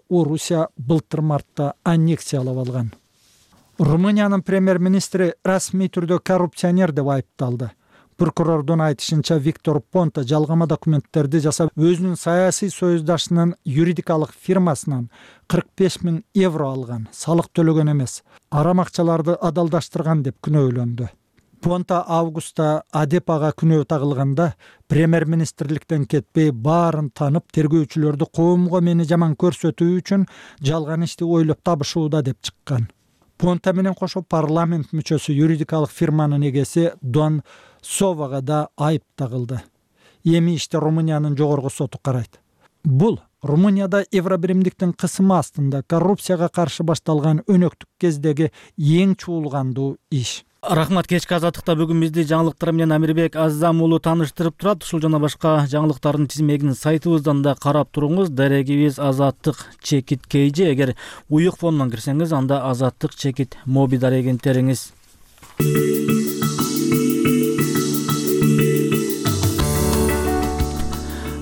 Орусия былтыр мартта аннексиялап алган. Румыниянын премьер-министри расмий түрдө коррупционер деп айыпталды. Прокурордун айтышынча, Виктор Понта жалгама документтерди жасап, өзүнүн саясий союздашынын юридикалык фирмасынан 45 000 евро алган, салык төлөгөн эмес, арам акчаларды адалдаштырган деп күнөөлөндү. Понта августта Адепага күнөө тагылганда, премьер-министрликтен кетпей баарын танып, тергөөчүлөрдү коомго мени жаман көрсөтүү үчүн жалган ишти ойлоп табышууда деп чыккан. Понта менен кошо парламент мүчөсү юридикалык фирманын эгеси Дон Совага да айып тагылды. Эми иште Румыниянын жогорку соту карайт. Бул Румынияда Евробиримдиктин кысымы астында коррупцияга каршы башталган өнөктүк кездеги эң чуулгандуу иш. Рахмат. Кечки азаттыкта бүгүн бизди жаңылыктар менен Амирбек Азам уулу тааныштырып турат. Ушул жана башка жаңылыктардын тизмегин сайтыбыздан да карап туруңуз. Дарегибиз Азаттык чекит KG. Эгер уюк фонунан кирсеңиз, анда Азаттык чекит моби дарегин териңиз.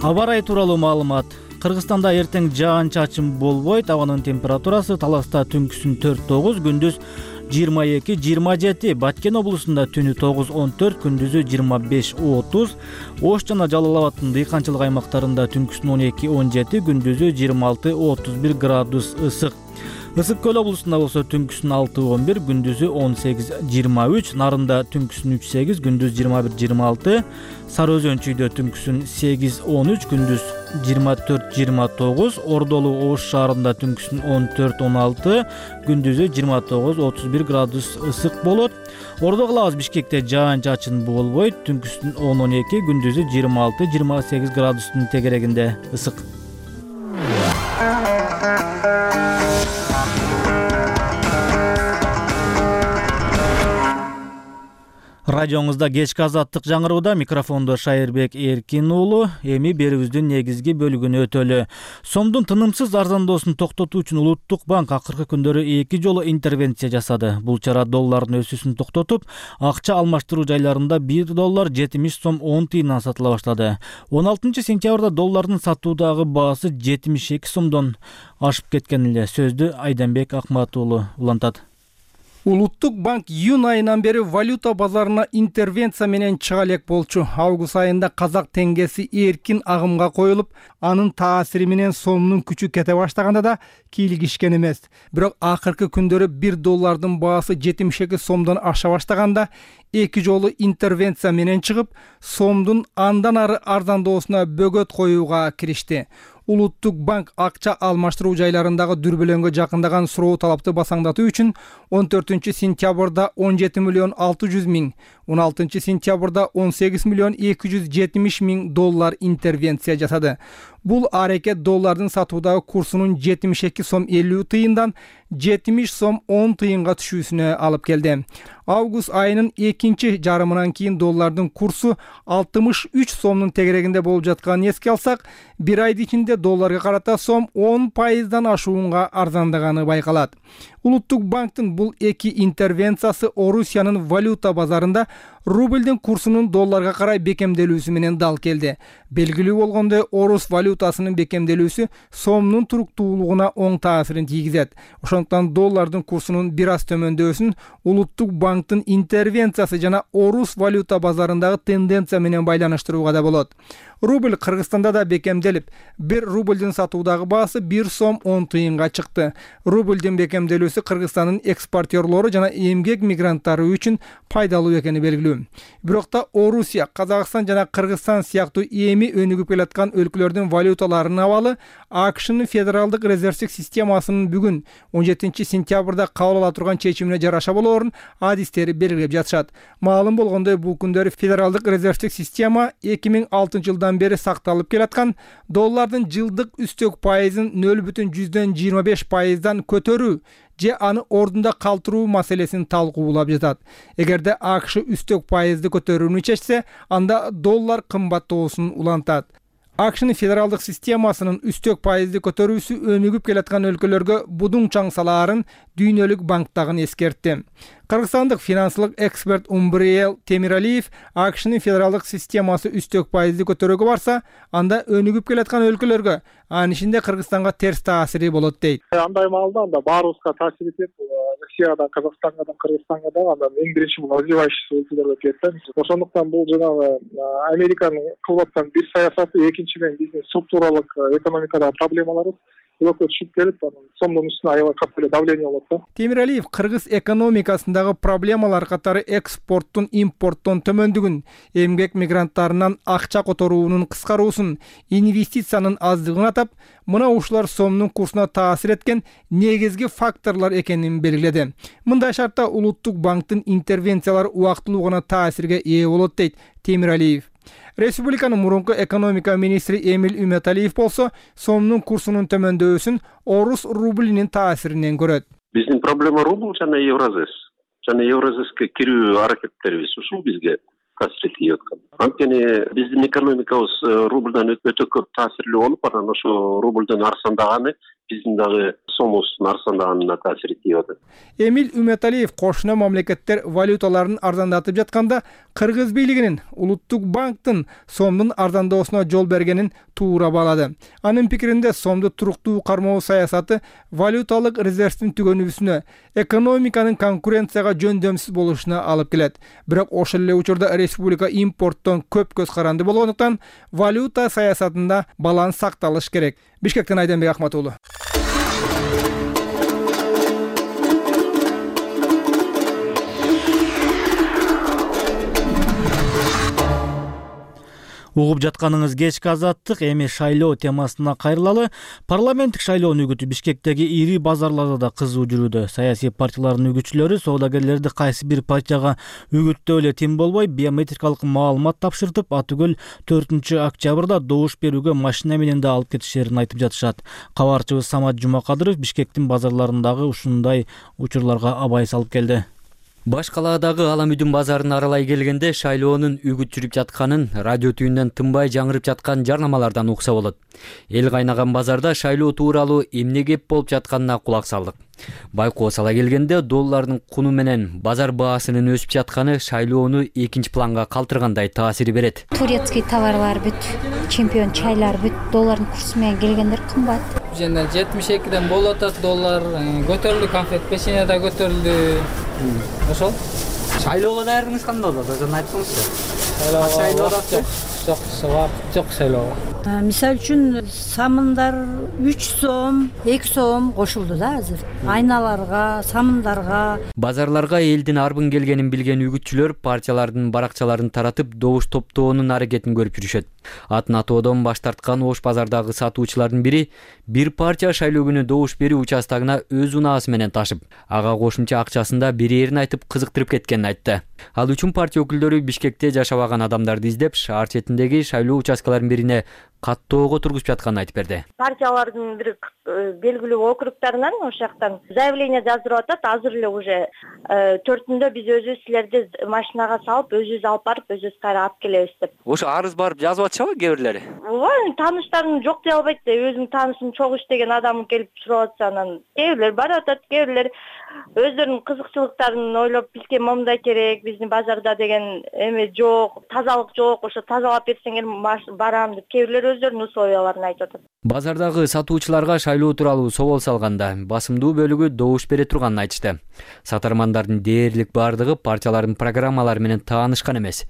Аба ырайы тууралуу маалымат. Кыргызстанда эртең жаан-чачын болбойт. Абанын температурасы Таласта түнкүсүн 4-9, күндүз 22-27, Баткен облусунда түнү 9-14, күндүзү 25-30, Ош жана Жалал Абаддын дыйканчылык аймактарында түнкүсүн 12-17, күндүзү 26-31 градус ысык. Ысык көл облусунда болсо түнкүсүн 6-11, күндүзү 18-23, Нарында түнкүсүн 3-8, күндүз 21-26, Сары Өзөн чүйдө түнкүсүн 8-13, күндүз 24-29, Ордолу Ош шаарында түнкүсүн 14-16, күндүзү 29-31 градус ысык болот. Ордо кылабыз Бишкекте жаан-чачын болбойт, түнкүсүн 10-12, күндүзү 26-28 градустун тегерегинде ысык. Радионузда кечки азаттык жаңырууда, микрофондо Шайырбек Эркин уулу. Эми берүүбүздүн негизги бөлүгүнө өтөлү. Сомдун тынымсыз арзандоосун токтотуу үчүн Улуттук банк акыркы күндөрү 2 жолу интервенция жасады. Бул чара доллардын өсүүсүн токтотуп, акча алмаштыруу жайларында $1 70 сом 10 тыйындан сатыла баштады. 16 сентябрда доллардын сатуудагы баасы 72 сомдон ашып кеткен эле. Сөздү Айданбек Акмат уулу улантат. Улуттук банк июнь айынан бери валюта базарына интервенция менен чыга элек болчу. Август айында казак теңгеси эркин агымга коюлуп, анын таасири менен сомдун күчү кете баштаганда да кийлигишкен эмес. Бирок акыркы күндөрү $1 баасы 72 сомдон аша баштаганда 2 жолу интервенция менен чыгып, сомдун андан ары арзандоосуна бөгөт коюуга киришти. Улуттук банк акча алмаштыруу жайларындагы дүрбөлөңгө жакындаган суроо талапты басаңдатуу үчүн 14 сентябрда 17 миллион 600 миң, 16 сентябрда 18 миллион 270 миң доллар интервенция жасады. Бул аракет доллардын сатуудагы курсунун 72 сом 50 тыйындан 70 сом 10 тыйынга түшүүсүнө алып келди. Август айынын экинчи жарымынан кийин доллардын курсу 63 сомдун тегерегинде болуп жатканын эске алсак, бир айдын ичинде долларга карата сом 10% ашуунга арзандаганы байкалат. Улуттук банктын бул эки интервенциясы Орусиянын валюта базарында рубльдин курсунун долларга карай бекемделүүсү менен дал келди. Белгилүү болгондой, орус валютасынын бекемделүүсү сомдун туруктуулугуна оң таасирин тийгизет. Ошондуктан доллардын курсунун бир аз төмөндөсүн Улуттук банктын интервенциясы жана орус валюта базарындагы тенденция менен байланыштырууга да болот. Рубль Кыргызстанда да бекемделип, 1 рубльдин сатуудагы баасы 1 сом 10 тыйынга чыкты. Рубльдин бекемделүүсү Кыргызстандын экспортерлору жана эмгек мигранттары үчүн пайдалуу экени белгилүү. Бирок да Орусия, Казакстан жана Кыргызстан сыяктуу эми өнүгүп келаткан өлкөлөрдүн валюталарынын абалы АКШнын Федералдык резервдик системасынын бүгүн 17 сентябрда кабыл ала турган чечимине жараша болоорун адистери белгилеп жатышат. Маалым болгондой, бул күндөрү Федералдык резервдик система 2006 жылдан бери сакталып келаткан доллардын жылдык үстөк пайызын 0,25%дан көтөрүү же аны ордунда калтыруу маселесин талкуулап жатат. Эгерде АКШ үстөк пайызды көтөрүүнү чечсе, анда доллар кымбаттоосун улантат. АКШнын федералдык системасынын үстөк пайызды көтөрүүсү өнүгүп келаткан өлкөлөргө будуң чаң салаарын Дүйнөлүк банк дагы эскертти. Кыргызстандык финансылык эксперт Умбриел Темиралиев АКШнын федералдык системасы үстөк пайызды көтөрүүгө барса, анда өнүгүп келаткан өлкөлөргө, анын ичинде Кыргызстанга терс таасири болот дейт. Андай маалда анда баарыбызга таасир этет. Россиядан, Казакстандан, Кыргызстанга да андан эң биринчи бул развивающийся өлкөлөргө тиет. Ошондуктан бул жанагы Американын кылып аткан бир саясаты, экинчиден биздин структуралык экономикадагы проблемаларыбыз өлкө түшүп келип, сомдун үстүнө аябай катуу эле давление болот да. Темиралиев кыргыз экономикасындагы проблемалар катары экспорттун, импорттун төмөндүгүн, эмгек мигранттарынан акча которуунун кыскаруусун, инвестициянын аздыгын атап, мына ушулар сомдун курсуна таасир эткен негизги факторлор экенин белгиледи. Мындай шартта Улуттук банктын интервенциялары убактылуу гана таасирге ээ болот дейт Темиралиев. Республиканын мурунку экономика министри Эмиль Үмөталиев болсо, сомдун курсунун төмөндөбүсүн орус рублинин таасиринен көрөт. Биздин проблема рубль жана Евразес. Жана Евразеске кирүү аракеттерибиз ушул бизге таасир этип аткан. Анткени биздин экономикабыз рубльдан өтө көп таасирлүү болуп, анан ошо рубльден арзандаганы биздин дагы сомубуздун арзандаганына таасир этип атат. Эмиль Үмөталиев кошуна мамлекеттер валюталарын арзандатып жатканда, Кыргыз бийлигинин Улуттук банктын сомдун арзандоосуна жол бергенин туура баалады. Анын пикиринде сомду туруктуу кармоо саясаты валюталык резервдин түгөнүүсүнө, экономиканын конкуренцияга жөндөмсүз болушуна алып келет. Бирок ошол эле учурда республика импорттон көп көз каранды болгондуктан валюта саясатында баланс сакталыш керек. Бишкектен Айденбек Ахматуулу. Угуп жатканыңыз кечки азаттык, эми шайлоо темасына кайрылалы. Парламенттик шайлоонун үгүтү Бишкектеги ири базарларда да кызуу жүрүүдө. Саясий партиялардын үгүтчүлөрү соодагерлерди кайсы бир партияга үгүттөө эле тим болбой, биометрикалык маалымат тапшыртып, Атүгөл 4-октябрда добуш берүүгө машина менен да алып кетишерин айтып жатышат. Кабарчыбыз Самат Жумакадыров Бишкектин базарларындагы ушундай учурларга абай салып келди. Баш калаадагы Аламүдүн базарын аралай келгенде шайлоонун үгүт жүрүп жатканын, радио түбүнөн тынбай жаңырып жаткан жарнамалардан укса болот. Эл кайнаган базарда шайлоо тууралуу эмне кеп болуп жатканына кулак салдык. Байкоо сала келгенде доллардын куну менен базар баасынын өсүп жатканы шайлоону экинчи планга калтыргандай таасир берет. Турецкий товарлар бүт, чемпион чайлар бүт, доллардын курсу менен келгендер кымбат. Жана 72ден болуп атат доллар, көтөрүлдү, конфет печенье да көтөрүлдү. Ошол. Шайлоого даярдыгыңыз кандай болот? Өзүң айткыңызчы. Жок шайлоого. Мисалы үчүн самындар 3 сом, 2 сом кошулду да азыр. Айналарга, самындарга. Базарларга элдин арбын келгенин билген үгүтчүлөр партиялардын баракчаларын таратып добуш топтоонун аракетин көрүп жүрүшөт. Атын атоодон баш тарткан Ош базардагы сатуучулардын бири бир партия шайлоо күнү добуш берүү участогуна өз унаасы менен ташып, ага кошумча акчасын да берерин айтып кызыктырып кеткенин айтты. Ал үчүн партия өкүлдөрү Бишкекте жашабаган адамдарды издеп, шаар четиндеги шайлоо участкаларынын бирине каттоого тургузуп жатканын айтып берди. Партиялардын бир белгилүү округтарынан ошол жактан заявление жаздырып атат. Азыр эле уже 4-үндө биз өзүбүз силерди машинага салып, өзүбүз алып барып, өзүбүз кайра алып келебиз деп. Ошо арыз барып жазып атышабы кээ бирлери? Ооба, тааныштарым жок дей албайт да. Өзүмдүн таанышым чогуу иштеген адам келип сурап атса, анан кээ бирлер барып атат, кээ бирлер өздөрүнүн кызыкчылыктарын ойлоп, бизге момундай керек, биздин базарда деген эме жок, тазалык жок, ошо тазалап берсеңер барам деп кээ бирлер өздөрүнүн условияларын айтып атат. Базардагы сатуучуларга шайлоо тууралуу собол салганда басымдуу бөлүгү добуш бере турганын айтышты. Сатармандардын дээрлик бардыгы партиялардын программалары менен таанышкан эмес.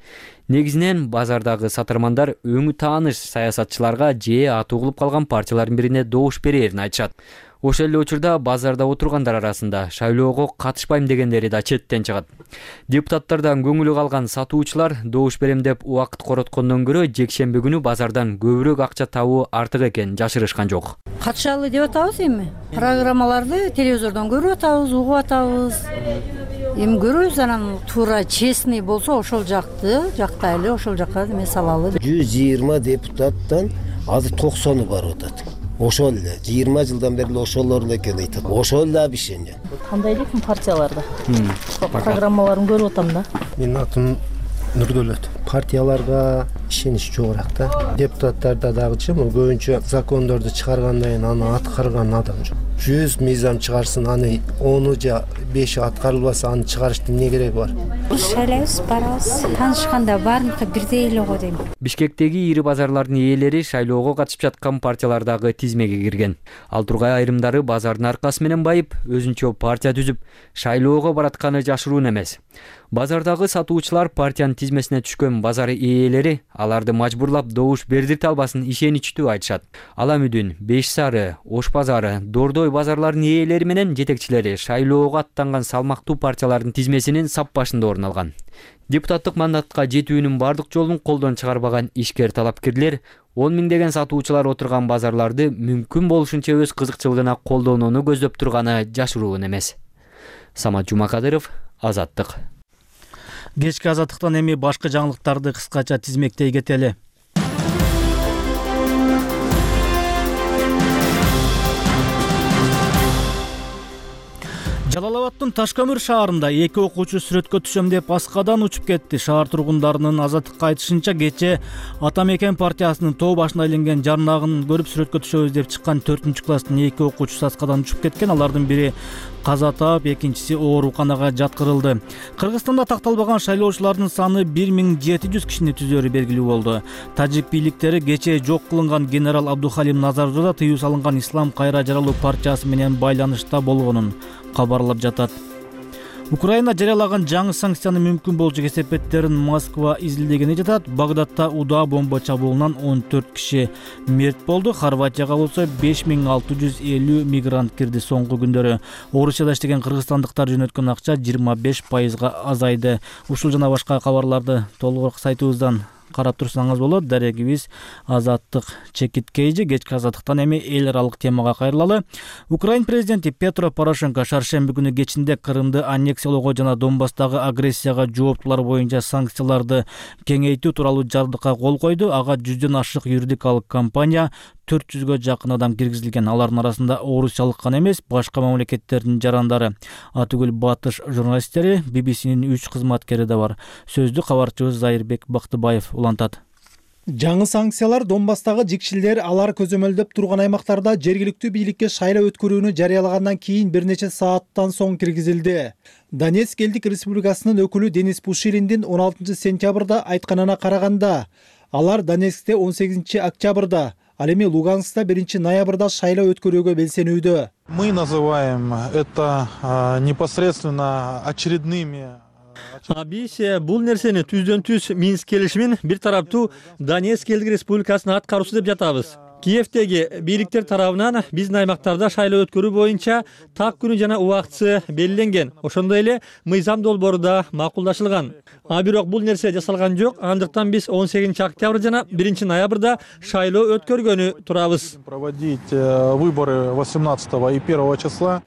Негизинен базардагы сатармандар өңү тааныш саясатчыларга же аты угулуп калган партиялардын бирине добуш берерин айтышат. Ошол эле учурда базарда отургандар арасында шайлоого катышпайм дегендери да четтен чыгат. Депутаттардан көңүлү калган сатуучулар добуш берем деп убакыт короткондон көрө жекшемби күнү базардан көбүрөөк акча табуу артык экенин жашырышкан жок. Катышалы деп атабыз эми. Программаларды телевизордон көрүп атабыз, угуп атабыз. Эми көрөбүз, анан туура честный болсо ошол жактайлы, ошол жакка эме салалы. 120 депутаттан азыр 90-ы барып атат. Ошол эле 20 жылдан бери ошолордун экени айтат. Ошол эле обещание. Кандай экен партияларда? Программаларын көрүп атам да. Менин атым Нурдөлөт. Партияларга ишенич жогорак да. Депутаттарда дагычы көбүнчө закондорду чыгаргандан кийин аны аткарган адам жок. 100 мыйзам чыгарсын, аны 10 же 5 аткарылбаса, аны чыгарыштын эмне кереги бар? Шайлайбыз, барабыз. Таанышканда баарыныкы бирдей эле го дейм. Бишкектеги ири базарлардын ээлери шайлоого катышып жаткан партиялардагы тизмеге кирген. Ал тургай айрымдары базардын аркасы менен байып, өзүнчө партия түзүп, шайлоого баратканы жашыруун эмес. Базардагы сатуучулар партиянын тизмесине түшкөн базар ээлери аларды мажбурлап добуш бердирте албасын ишеничтүү айтышат. Ала Мүдүн, Беш Сары, Ош базары, Дордой базарларынын ээлери менен жетекчилери шайлоого аттанган салмактуу партиялардын тизмесинин сап башында орун алган. Депутаттык мандатка жетүүнүн бардык жолун колдон чыгарбаган ишкер талапкерлер 10 миңдеген сатуучулар отурган базарларды мүмкүн болушунча өз кызыкчылыгына колдонууну көздөп турганы жашыруун эмес. Самат Жумакадыров, Азаттык. Кечки Азаттыктан эми башка жаңылыктарды кыскача тизмектей кетели. Жалал Абадтын Ташкөмүр шаарында 2 окуучу сүрөткө түшөм деп аскадан учуп кетти. Шаар тургундарынын Азаттыкка айтышынча, кече Ата Мекен партиясынын тоо башына иленген жарнагын көрүп сүрөткө түшөбүз деп чыккан 4-класстын 2 окуучусу аскадан учуп кеткен. Алардын бири каза таап, экинчиси ооруканага жаткырылды. Кыргызстанда такталбаган шайлоочулардын саны 1700 кишини түзөрү белгилүү болду. Тажик бийликтери кече жок кылынган генерал Абдухалим Назарзода тыюу салынган Ислам кайра жаралуу партиясы менен байланышта болгонун кабарлап жатат. Украина жарыялаган жаңы санкцияны мүмкүн болчу кесепеттерин Москва изилдегени жатат. Багдадта удаа бомба чабуулунан 14 киши мерт болду. Хорватияга болсо 5650 мигрант кирди соңку күндөрү. Орусияда иштеген кыргызстандыктар жөнөткөн акча 25%га азайды. Ушул жана башка кабарларды толугураак сайтыбыздан карап турсаңыз болот. Дарегибиз Азаттык чекиткейжи. Кечки Азаттыктан эми эл аралык темага кайрылалы. Украин президенти Петро Порошенко шаршемби күнү кечинде Крымды аннексиялоого жана Донбасстагы агрессияга жооптулар боюнча санкцияларды кеңейтүү тууралуу жардыкка кол койду. Ага 100дөн ашык юридикалык компания, 400гө жакын адам киргизилген. Алардын арасында орусиялык гана эмес, башка мамлекеттердин жарандары. Атүгүл Батыш журналисттери, BBC'нин 3 кызматкери да бар. Сөздү кабарчыбыз Зайырбек Бактыбаев улантат. Жаңы санкциялар Донбасстагы жикшилдер алар көзөмөлдөп турган аймактарда жергиликтүү бийликке шайлоо өткөрүүнү жарыялагандан кийин бир нече сааттан соң киргизилди. Донецк элдик республикасынын өкүлү Денис Пушилиндин 16 сентябрда айтканына караганда, алар Донецкте 18 октябрда, ал эми Луганскта 1 ноябрда шайлоо өткөрүүгө белсенүүдө. Мы называем это непосредственно очередными. Биз бул нерсени түздөн түз Минск келишимин бир тараптуу Донецк элдик республикасынын аткаруусу деп жатабыз. Киевдеги бийликтер тарабынан биздин аймактарда шайлоо өткөрүү боюнча так күнү жана убактысы белгиленген. Ошондой эле мыйзам долбоору да макулдашылган. Бирок бул нерсе жасалган жок. Андыктан биз 18 октябрь жана 1 ноябрда шайлоо өткөргөнү турабыз. Проводить выборы 18 и 1 числа.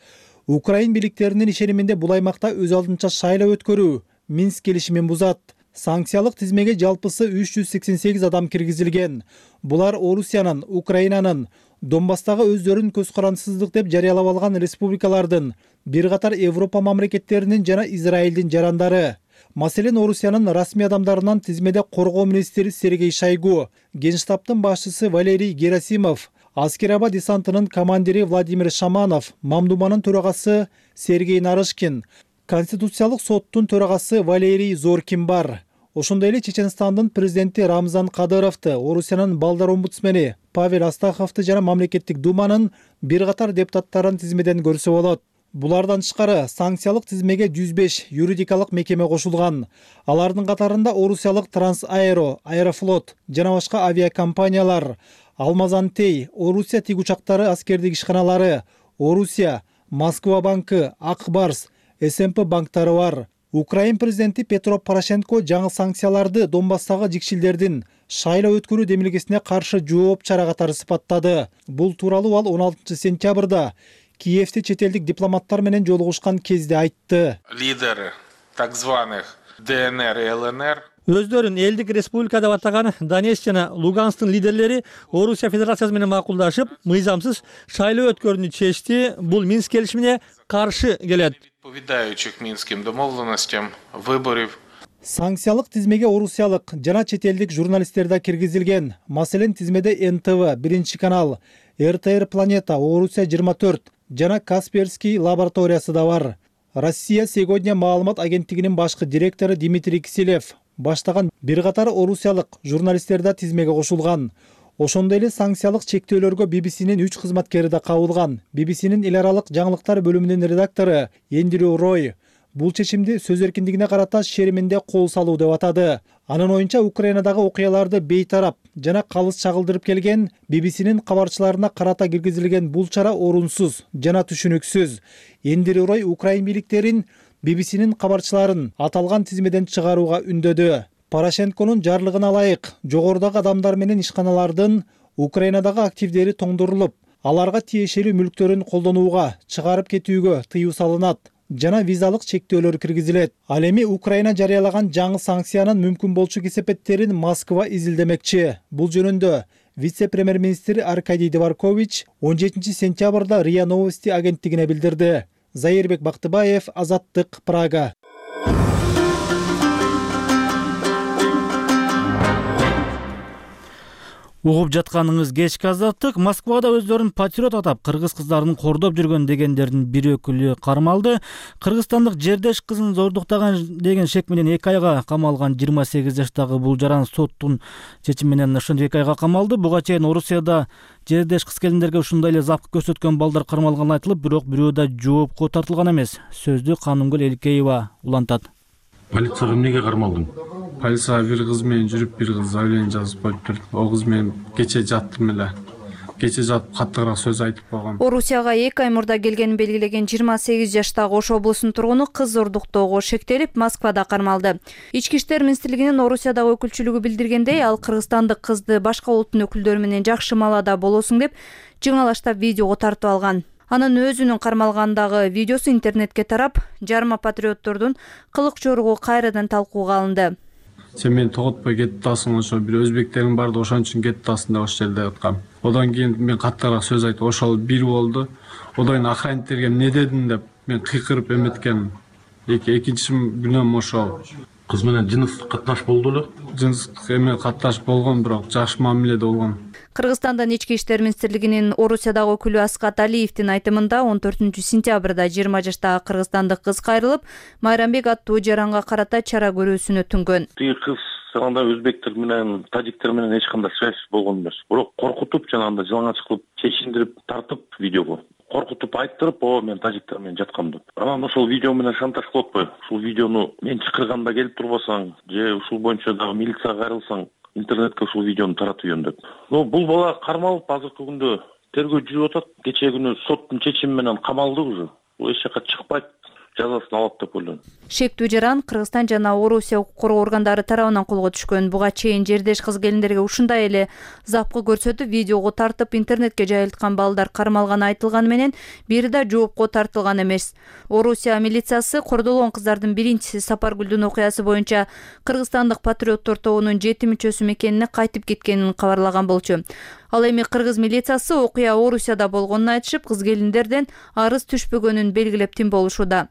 Украин бийликтеринин ишениминде бул аймакта өз алдынча шайлоо өткөрүү Минск келишимин бузат. Санкциялык тизмеге жалпысы 388 адам киргизилген. Булар Орусиянын, Украинанын, Донбасстагы өздөрүн көз карансыздык деп жарыялап алган республикалардын, бир катар Европа мамлекеттеринин жана Израилдин жарандары. Маселен, Орусиянын расмий адамдарынан тизмеде коргоо министри Сергей Шойгу, Генштабтын башчысы Валерий Герасимов, Аскер-Аба десантынын командири Владимир Шаманов, Мамдуманын төрагасы Сергей Нарышкин, Конституциялык соттун төрагасы Валерий Зоркин бар. Ошондой эле Чеченстандын президенти Рамзан Кадыровду, Орусиянын балдар омбудсмени Павел Астаховду жана мамлекеттик думанын бир катар депутаттарын тизмеден көрсө болот. Булардан тышкары санкциялык тизмеге 105 юридикалык мекеме кошулган. Алардын катарында Орусиялык Трансаэро, Аэрофлот жана башка авиакомпаниялар, Алмазантей, Орусия тиг учактары аскердик ишканалары, Орусия, Москва банкы, Акбарс, СМП банктары бар. Украин президенти Петро Порошенко жаңы санкцияларды Донбасстагы жикшилдердин шайлоо өткөрүү демилгесине каршы жооп чара катары сыпаттады. Бул тууралуу ал 16 сентябрда Киевде чет элдик дипломаттар менен жолугушкан кезде айтты. Лидеры так званых ДНР и ЛНР өздөрүн элдик республика деп атаган Донецк жана Луганскдын лидерлери Орусия Федерациясы менен макулдашып, мыйзамсыз шайлоо өткөрүүнү чечти. Бул Минск келишимине каршы келет. Відповідаючих Мінським домовленостям виборів. Санкциялык тизмеге орусиялык жана чет элдик журналисттер да киргизилген. Маселен, тизмеде НТВ, 1 канал, РТР Планета, Орусия 24, жана Касперский лабораториясы да бар. Россия сегодня маалымат агенттигинин башкы директору Дмитрий Киселев баштаган бир катар орусиялык журналисттер да тизмеге кошулган. Ошондой эле санкциялык чектөөлөргө BBC-нин 3 кызматкери да кабылган. BBC-нин эл аралык жаңылыктар бөлүмүнүн редактору Эндрю Рой бул чечимди сөз эркиндигине карата шериминде кол салуу деп атады. Анын оюнча Украинадагы окуяларды бейтарап жана калыс чагылдырып келген BBC-нин кабарчыларына карата киргизилген бул чара орунсуз жана түшүнүксүз. Эндрю Рой Украин бийликтерин BBC-нин кабарчыларын аталган тизмеден чыгарууга үндөдү. Порошенконун жарлыгына ылайык жогорудагы адамдар менен ишканалардын Украинадагы активдери тоңдурулуп, аларга тиешелүү мүлктөрүн колдонууга, чыгарып кетүүгө тыюу салынат жана визалык чектөөлөр киргизилет. Ал эми Украина жарыялаган жаңы санкциянын мүмкүн болчу кесепеттерин Москва изилдемекчи. Бул жөнүндө вице-премьер-министр Аркадий Дворкович 17 сентябрда РИА Новости агенттигине билдирди. Заирбек Бактыбаев, Азаттык, Прага. Угуп жатканыңыз кечки Азаттык. Москвада өздөрүн патриот атап, кыргыз кыздарын кордоп жүргөн дегендердин бир өкүлү кармалды. Кыргызстандык жердеш кызын зордуктаган деген шек менен 2 айга камалган 28 жаштагы бул жаран соттун чечими менен ошондой 2 айга камалды. Буга чейин Орусияда жердеш кыз келиндерге ушундай эле запкы көрсөткөн балдар кармалганы айтылып, бирок бирөө да жоопко тартылган эмес. Сөздү Канымгүл Элкеева улантат. Полицияга эмнеге кармалдың? Полицияга бир кыз менен жүрүп, бир кыз заявление жазып коюптур. О кыз менен кече жаттым эле. Кече жатып каттыраак сөз айтып койгом. Орусияга 2 ай мурда келгенин белгилеген 28 жаштагы Ош облусунун тургуну кыз зордуктоого шектелип, Москвада кармалды. Ички иштер министрлигинин Орусиядагы өкүлчүлүгү билдиргендей, ал кыргызстандык кызды башка улуттун өкүлдөрү менен жакшы маалада болосуң деп жыңалаштап видеого тартып алган. Анын өзүнүн кармалгандагы видеосу интернетке тарап, жарма патриоттордун кылык жоругу кайрадан талкууга алынды. Сен мени тоготпой кетип атасың, ошо бир өзбектериң бар да ошон үчүн кетип атасың деп ошол жерде аткам. Одан кийин мен каттыраак сөз айтып, ошол бир болду. Одан кийин охранниктерге эмне дедиң деп мен кыйкырып эметкенмин. Экинчи күнөм ошол. Кыз менен жыныстык катташ болду эле? Жыныстык эме катташ болгон, бирок жакшы мамиледе болгон. Кыргызстандын ички иштер министрлигинин Орусиядагы өкүлү Аскат Алиевдин айтымында 14 сентябрда 20 жаштагы кыргызстандык кыз кайрылып, Майрамбек аттуу жаранга карата чара көрүүсүн өтүнгөн. Тиги кыз анда өзбектер менен, тажиктер менен эч кандай связь болгон эмес. Бирок коркутуп жанагындай жалаңач кылып, чечиндирип тартып видеого. Коркутуп айттырып, мен тажиктер менен жаткам деп. Анан ошол видео менен шантаж кылып атпайбы? Ушул видеону мен чакырганда келип турбасаң, же ушул боюнча дагы милицияга кайрылсаң, интернетке ушул видеону таратып үйөн деп. Бул бала кармалып, азыркы күндө тергөө жүрүп атат. Кечээ күнү соттун чечими менен камалды уже. Бул эч жака чыкпайт. Жазасын алат деп ойлойм. Шектүү жаран Кыргызстан жана Орусия укук коргоо органдары тарабынан колго түшкөн. Буга чейин жердеш кыз келиндерге ушундай эле запкы көрсөтүп, видеого тартып интернетке жайылткан балдар кармалганы айтылганы менен бири да жоопко тартылган эмес. Орусия милициясы кордолгон кыздардын биринчиси Сапаргүлдүн окуясы боюнча кыргызстандык патриоттор тобунун 7 мүчөсү мекенине кайтып кеткенин кабарлаган болчу. Ал эми кыргыз милициясы окуя Орусияда болгонун айтышып, кыз келиндерден арыз түшпөгөнүн белгилеп тим болушууда.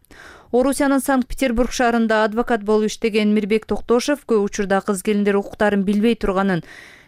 Орусиянын Санкт-Петербург шаарында адвокат болуп иштеген Мирбек Токтошев көп учурда кыз келиндер укуктарын билбей турганын,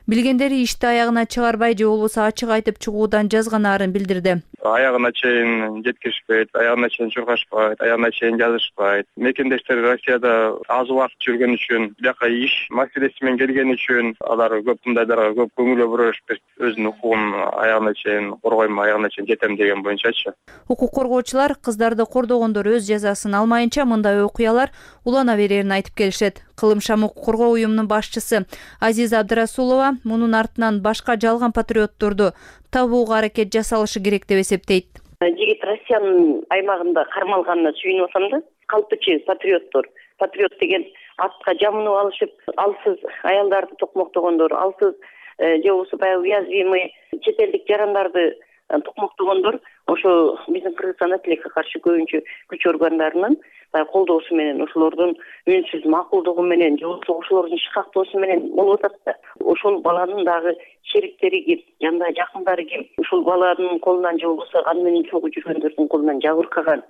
билгендери ишти аягына чыгарбай же болбосо ачык айтып чыгуудан жазганарын билдирди. Аягына чейин жеткиришпейт, аягына чейин чуркашпайт, аягына чейин жазышпайт. Мекендештер Россияда аз убакыт жүргөн үчүн, бияка иш маселеси менен келген үчүн алар көп мындайларга көп көңүл бурушпайт. Өзүнүн укугун аягына чейин коргойм, аягына чейин жетем деген боюнчачы. Укук коргоочулар кыздарды кордогондор өз жазасын алмайынча мындай окуялар улана берерин айтып келишет. Кылымшам укук коргоо уюмунун башчысы Азиза Абдрасулова мунун артынан башка жалган патриотторду табууга аракет жасалышы керек деп эсептейт. Жигит Россиянын аймагында кармалганына сүйүнүп атам да. Калпычы патриоттор, патриот деген атка жамынып алышып, алсыз аялдарды токмоктогондор, алсыз же болбосо баягы уязвимый чет элдик жарандарды токмоктогондор ошо биздин Кыргызстанда тилекке каршы көбүнчө күч органдарынын колдоосу менен, ошолордун үнсүз макулдугу менен, же болбосо ошолордун шыкактоосу менен болуп атат да. Ошол баланын дагы шериктери ким, жандагы жакындары ким, ушул баланын колунан же болбосо аны менен чогуу жүргөндөрдүн колунан жабыркаган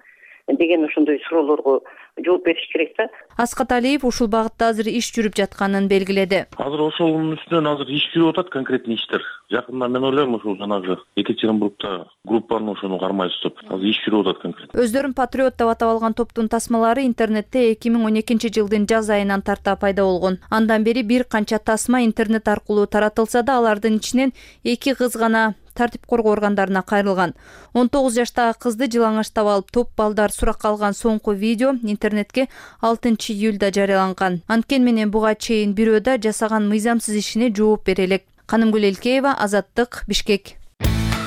деген ошондой суроолорго жооп бериш керек да. Аскат Алиев ушул багытта азыр иш жүрүп жатканын белгиледи. Азыр ошонун үстүнөн азыр иш жүрүп атат, конкретный иштер. Жакында мен ойлойм ушул жанагы Екатеринбургда группаны ошону кармай түзүп, азыр иш жүрүп атат конкретно. Өздөрүн патриот деп атап алган топтун тасмалары интернетте 2012-жылдын жаз айынан тарта пайда болгон. Андан бери бир канча тасма интернет аркылуу таратылса да, алардын ичинен 2 кыз гана тартип коргоо органдарына кайрылган. 19 жаштагы кызды жылаңачтап алып топ балдар суракка алган соңку видео интернетке 6-июлда жарыяланган. Анткени менен буга чейин бирөө да жасаган мыйзамсыз ишине жооп бере элек. Канымгүл Элкеева, Азаттык, Бишкек.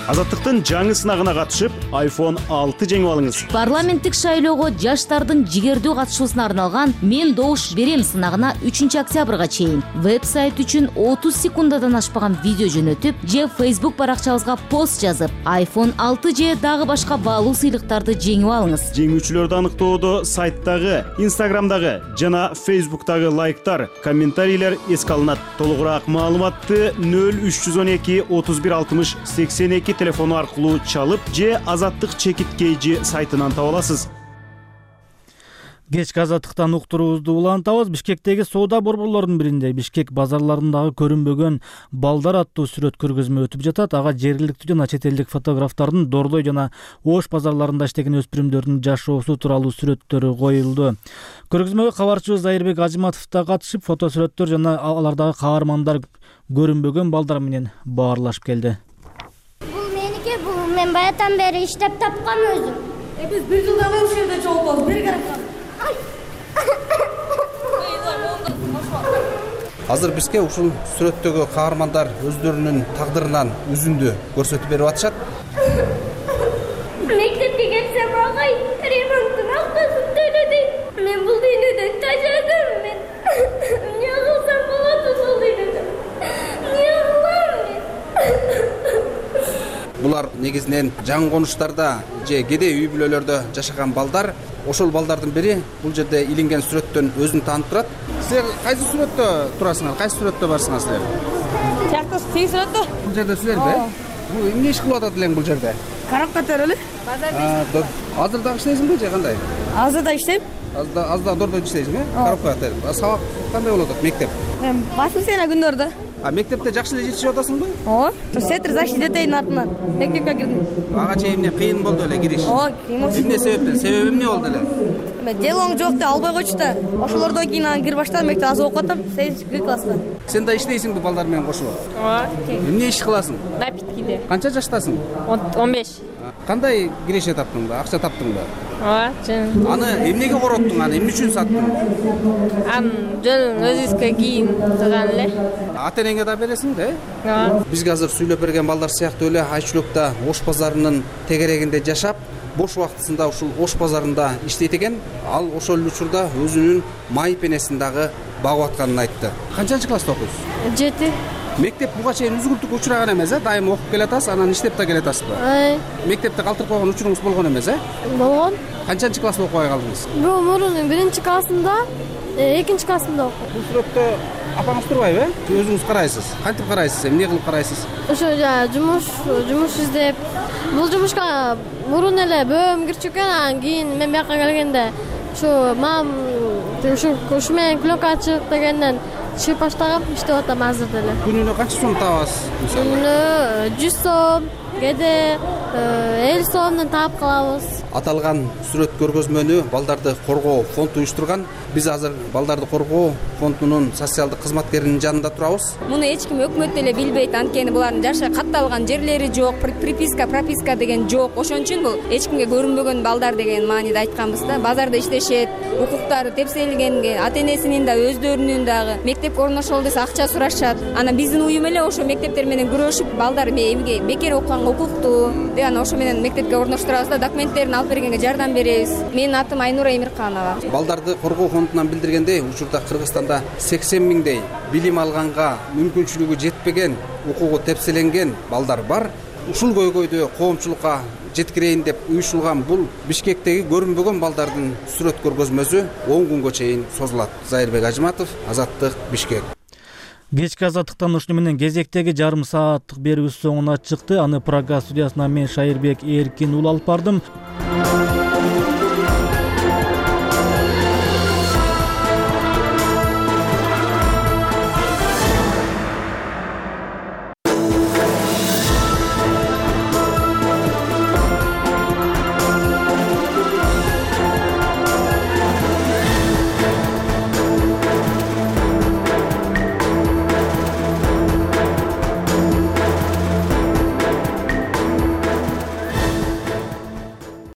Азаттыктын жаңы сынагына катышып, iPhone 6 жеңип алыңыз. Парламенттик шайлоого жаштардын жигердүү катышуусуна арналган «Мен добуш берем» сынагына 3-октябрга чейин веб-сайт үчүн 30 секундадан ашпаган видео жөнөтүп, же Facebook баракчабызга пост жазып, iPhone 6 же дагы башка баалуу сыйлыктарды жеңип алыңыз. Жеңүүчүлөрдү аныктоодо сайттагы, Instagramдагы жана Facebooktагы лайктар, комментарийлер эске алынат. Толугураак маалыматты 0312 31 60 82 телефону аркылуу чалып же Азаттык чекиткейжи сайтынан таба аласыз. Кечки Азаттыктан уктуруубузду улантабыз. Бишкектеги соода борборлорунун биринде Бишкек базарларындагы көрүнбөгөн балдар аттуу сүрөт көргөзмө өтүп жатат. Ага жергиликтүү жана чет элдик фотографтардын Дордой жана Ош базарларында иштеген өспүрүмдөрдүн жашоосу тууралуу сүрөттөрү коюлду. Көргөзмөгө кабарчыбыз Айырбек Ажыматов да катышып, фотосүрөттөр жана алардагы каармандар көрүнбөгөн балдар менен баарлашып келди. Мен баятан бери иштеп тапкам өзүм. Биз бир жылдан бери ушул жерде чогулгабыз. Бери карап. Азыр бизге ушул сүрөттөгү каармандар өздөрүнүн тагдырынан үзүндү көрсөтүп берип атышат. Мектепке келсем агай ремонттун акчасын төлөдү. Мен бул дүйнөдөн тажадым. Мен эмне кылсам болот ушул дүйнөдө? Эмне кылам мен? Булар негизинен жаңы конуштарда же кедей үй бүлөлөрдө жашаган балдар. Ошол балдардын бири бул жерде илинген сүрөттөн өзүн таанып турат. Силер кайсы сүрөттө турасыңар? Кайсы сүрөттө барсыңар силер? Жакта сый сүрөттө. Бул жерде силерби? Бул эмне иш кылып атат элең бул жерде? Карап кетер эле. Базарда. Азыр дагы иштейсиңби же кандай? Азыр да иштейм. Азыр да Дордойдо иштейсиңби? Карап кетер. Сабак кандай болуп атат мектеп? Басмысына күндөрдө. Мектепте жакшы эле жетишип атасыңбы? Сетр защита детейдин артынан мектепке кирдим. Ага чейин эмне кыйын болду эле кириш? Кыйын болду. Эмне себептен? Себеби эмне болду эле? Делоң жок деп албай койчу да. Ошолордон кийин аны кирип баштадым, мектеп азыр окуп атам, 8 класста. Сен да иштейсиңби балдар менен кошуп? Эмне иш кыласың? Напиткиде. Канча жаштасың? 15. Кандай киреше таптың да? Акча таптың да? Жөн. Аны эмнеге короттуң? Аны эмне үчүн саттың? Жөн өзүбүзгө кийим кылган эле. Ата энеңе да бересиң да? Бизге азыр сүйлөп берген балдар сыяктуу эле Айчулукта Ош базарынын тегерегинде жашап, бош убактысында ушул Ош базарында иштейт экен. Ал ошол учурда өзүнүн май пенесин дагы багып атканын айтты. Канчанчы класста окуйсуз? 7. Мектеп буга чейин үзгүлтүккө учураган эмес, дайым окуп келатасыз, анан иштеп да келатасызбы? Мектепте калтырып койгон учуруңуз болгон эмес, Болгон. Канчанчы класста окубай калдыңыз? Мурун 1-классында, 2-классында окудум. Бул сүрөттө апаңыз турбайбы? Өзүңүз карайсыз. Кантип карайсыз? Эмне кылып карайсыз? Ошо жумуш издеп. Бул жумушка мурун эле бөөм кирчү экен, анан кийин мен бияка келгенде ушу менен пленка чыгып дегенден чыгып баштагам, иштеп атам азыр деле. Күнүнө канча сом табасыз? Күнүнө 100 сом, кээде 50 сомдон таап калабыз. Аталган сүрөт көргөзмөнү Балдарды коргоо фонду уюштурган. Биз азыр Балдарды коргоо фондунун социалдык кызматкеринин жанында турабыз. Муну эч ким өкмөт деле билбейт, анткени булардын жашы катталган жерлери жок, прописка деген жок. Ошон үчүн бул эч кимге көрүнбөгөн балдар деген мааниде айтканбыз да. Базарда иштешет, укуктары тепселгенге, ата-энесинин да өздөрүнүн дагы мектепке орношолу десе акча сурашат. Анан биздин уюм эле ошо мектептер менен күрөшүп, балдар эмге бекер окуганга укуктуу деп анан ошо менен мектепке орноштурабыз да, документтерин алып бергенге жардам беребиз. Менин атым Айнура Эмирканова. Балдарды коргоо фондунан билдиргендей, учурда Кыргызстанда 80 миңдей билим алганга мүмкүнчүлүгү жетпеген, укугу тепселенген балдар бар. Ушул көйгөйдү коомчулукка жеткирейин деп уюшулган бул Бишкектеги көрүнбөгөн балдардын сүрөт көргөзмөсү 10 күнгө чейин созулат. Айырбек Ажыматов, Азаттык, Бишкек. Кечки Азаттыктан ушуну менен кезектеги жарым сааттык берүүбүз соңуна чыкты. Аны Прага студиясынан мен Шайырбек Эркин ул алып бардым.